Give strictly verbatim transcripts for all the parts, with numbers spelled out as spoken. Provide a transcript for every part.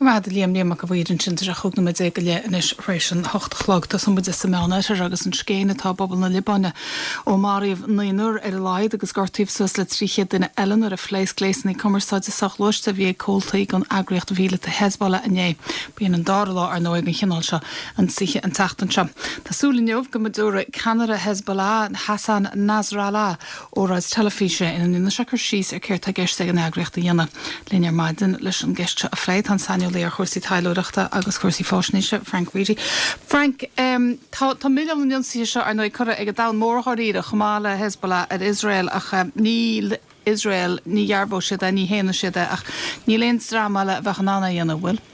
Maith Liam Liam Mac a' Mhaoir ansin tá sé chúig nóiméad déag go leith anois tar éis an hocht a chlog. Tosóidh muid sa Meánoirthear agus an scéin atá i bpobal na Liobáine ó maraíodh naonúr ar a laghad agus gortaíodh suas le trí chéad duine eile nuair a phléasc gléasanna cumarsáide soghluaiste a bhí ag comhaltaí den eagraíocht mhíleata Hezbollah inné. B'in an dara lá ar ndóigh den chineál seo ionsaithe an tseachtain seo. Tá súil inniu go dtabharfaidh ceannaire Hezbollah Hassan Nasrallah óráid teilifíse ina ndéanfaidh sé cur síos ar céard atá i gceist ag an eagraíocht a dhéanamh. Linn ar maidin leis an gceist seo a phlé tá an saineolaí ar chúrsaí taidhleoireachta agus cúrsaí faisnéise Frank Reidy. Frank um, tá tá milleán na n-ionsaithe seo ar ndóigh curtha ag an domhan mór dáiríre chomh maith le Hezbollah ar Israel ach um, níl Israel ní dhearbhóidh siad é ní shéanfaidh siad é ach níl aon dream eile a bheadh in ann é a dhéanamh bhfuil.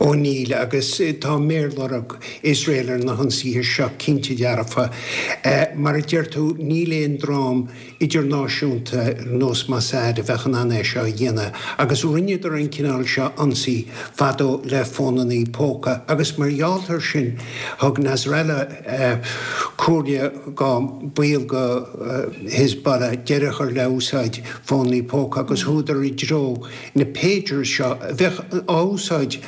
Ó níl agus tá méarlorg Israel ar na hionsaithe seo cinnte dearfa. Mar a deir tú níl aon dream idirnáisiúnta nós Mossad a bheadh in ann é seo a dhéanamh, agus rinneadar an cineál seo ionsaí fadó le fónanna póca, agus mar gheall air sin thug Nasrallah comhairle go baill go Hezbollah deireadh a chur le úsáid fónanna póca agus chuadar i dtreo na pagers seo a bheadh á úsáid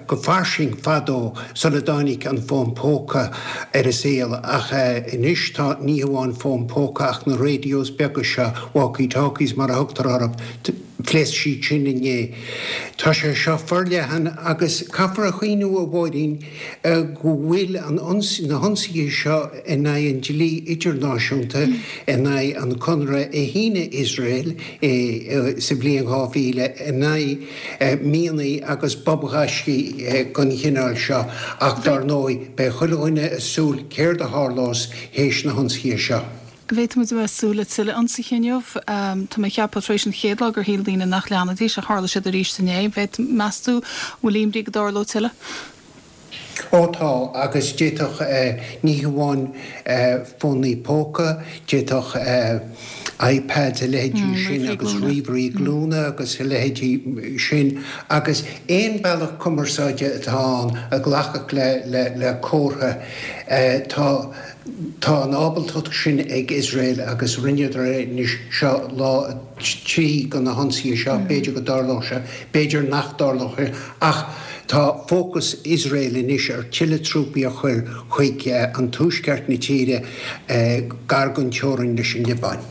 go fairsing fadó sula dtáinig an fón póca ar an saol ach anois tá ní hamháin fón póca ach na radios beaga seo walkie-talkies mar a thugtar orthu phléasc siad sin inné. Tá sé seo forleathan agus caithfear a chuimhneamh a Mháirín go bhfuil an na hionsaithe seo in aghaidh an dlí idirnáisiúnta in aghaidh an conradh a shínigh Israel sa bhliain dhá mhíle in aghaidh mianaigh agus bobghaiscí den chineál seo ach dar ndóigh beidh chuile dhuine ag súil céard a tharlós théis na hionsaithe seo. Bhféadfadh muid a bheith ag súil le tuilleadh ionsaithe inniu. Tá mé ag ceapadh tar éis an chéad lá gur shíl daoine nach leanfaidís ach tharla siad arís inné. Bhféad meas tú bhfuil imní go dtarlódh tuilleadh? Ó tá agus d'fhéadfadh ní hamháin fónaí póca, d'fhéadfadh iPads a leithéidí sin agus ríomhairí glúine agus a leithéidí sin agus aon bealach cumarsáide atá ann a ghlacfadh le le le comhartha tá tá an ábaltacht sin ag Israel agus rinneadar anois seo lá trí de na hionsaithe seo b'fhéidir go dtarlódh sé, b'fhéidir nach dtarlódh sé ach tá fócas Israel anois ar tuilleadh trúpaí a chur chuig an tuaisceart na tíre gar don teorainn leis an Liobáin.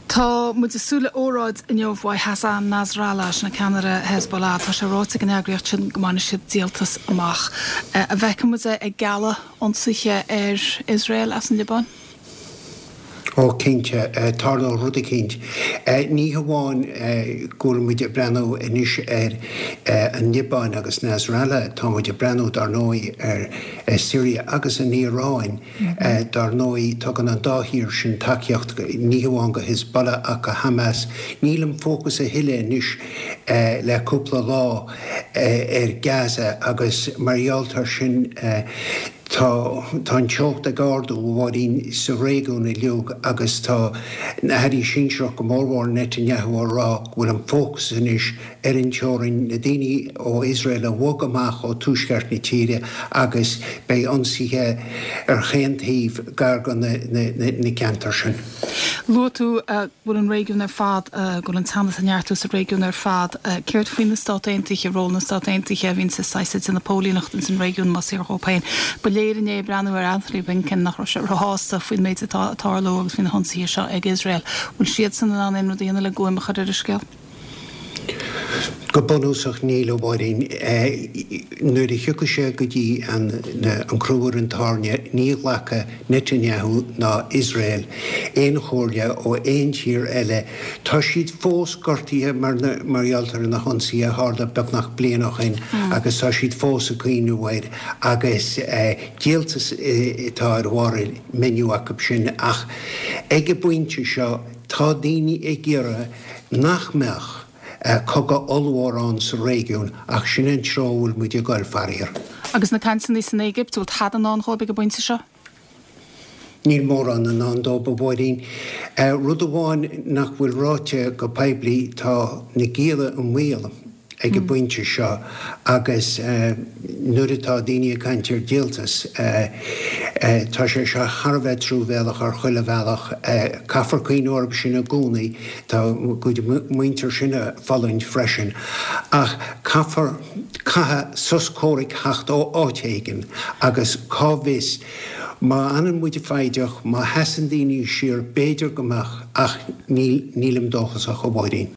Tá muid ag súil le óráid inniu uaidh Hassan Nasrallah sin ceannaire Hezbollah, Tá sé ráite ag an eagraíocht sin go mbainfidh siad díoltas amach. An bhfeicfidh muid é ag gealladh ionsaithe ar Israel as an Liobáin? Ó cinnte tarlóidh rud eicínt. Ní hamháin go bhfuil muid ag breathnú anois ar an Liobáin agus Nasrallah, tá muid ag breathnú dar ndóigh ar Syria agus an Iaráin. Dar ndóigh tugann an dá thír sin tacaíocht ní hamháin go Hezbollah ach go Hamas. Níl an fócas a thuilleadh anois le cúpla lá ar Gaza agus mar gheall air sin Tá tá an teocht ag ardú a Mháirín sa réigiún uilig agus tá na hairí sinsearach go mórmhór Netanyahu á rá go bhfuil an fócas anois ar an teorainn, na daoine ó Iosrael a bhog amach ó tuaisceart na tíre agus beidh ionsaithe ar chaon taobh gar do na na ceantair sin. Luaigh tú go bhfuil an réigiún ar fad, go bhfuil an teannas ag neartú sa réigiún ar fad. Céard faoi na Stáit Aontaithe, ról na Stát Aontaithe a bhíonn sa saghas ag déanamh póilíneacht ins an réigiún más fíor dhóibh féin. Ba léir inné ag breathnú ar Anthony Blinken nach raibh sé róshásta faoin méid atá ag tarlú agus faoi na hionsaithe seo ag Iosrael. Bhfuil siadsan in ann aon rud a dhéanamh le guaim a chur ar an scéal? Go bunúsach níl, a Mháirín. Nuair a thiocfaidh sé go dtí an crú ar an tairne ní ghlacfaidh Netanyahu ná Iosrael aon chomhairle ó aon tír eile. Tá siad fós gortaithe mar gheall ar na hionsaithe a tharla beagnach bliain ó shin agus tá siad fós ag cuimhneamh air agus díoltas atá ar bharr an menu acu sin ach ag an bpointe seo tá daoine ag iarraidh nach mbeadh cogadh ollmhór ann sa réigiún ach sin an treo a bhfuil muid ag dul, faraor. Agus na cainteanna san Éigipt, bhfuil tada i ndán dhóibh ag an bpointe seo? Níl mórán i ndán dóibh, a Mháirín. Rud amháin nach bhfuil ráite go poiblí, tá na gialla i mbaol ag an bpointe seo agus nuair atá daoine ag caint ar dhíoltas, Tá sé seo thar a bheith truamhéalach ar chuile bhealach. Caithfear cuimhniú orthu sin i gcónaí. Tá a gcuid muintir sin ag fulaingt freisin. Ach caithfear, caithfidh sos comhraic theacht ó áit éigin agus cá bhfios, má fhanann muid foighdeach, má sheasann daoine siar, b'fhéidir go mbeadh, ach níl, nílim dóchasach, a Mháirín.